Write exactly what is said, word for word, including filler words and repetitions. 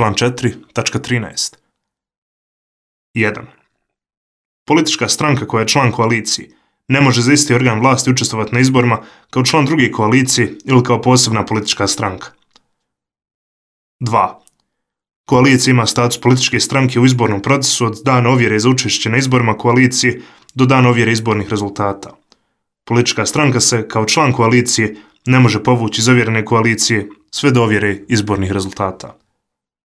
Član četiri, tačka trinaest. jedan. Politička stranka koja je član koalicije ne može za isti organ vlasti učestvovati na izborima kao član druge koalicije ili kao posebna politička stranka. dva. Koalicija ima status političke stranke u izbornom procesu od dana ovjere za učešće na izborima koalicije do dana ovjere izbornih rezultata. Politička stranka se, kao član koalicije, ne može povući iz ovjerene koalicije sve do ovjere izbornih rezultata.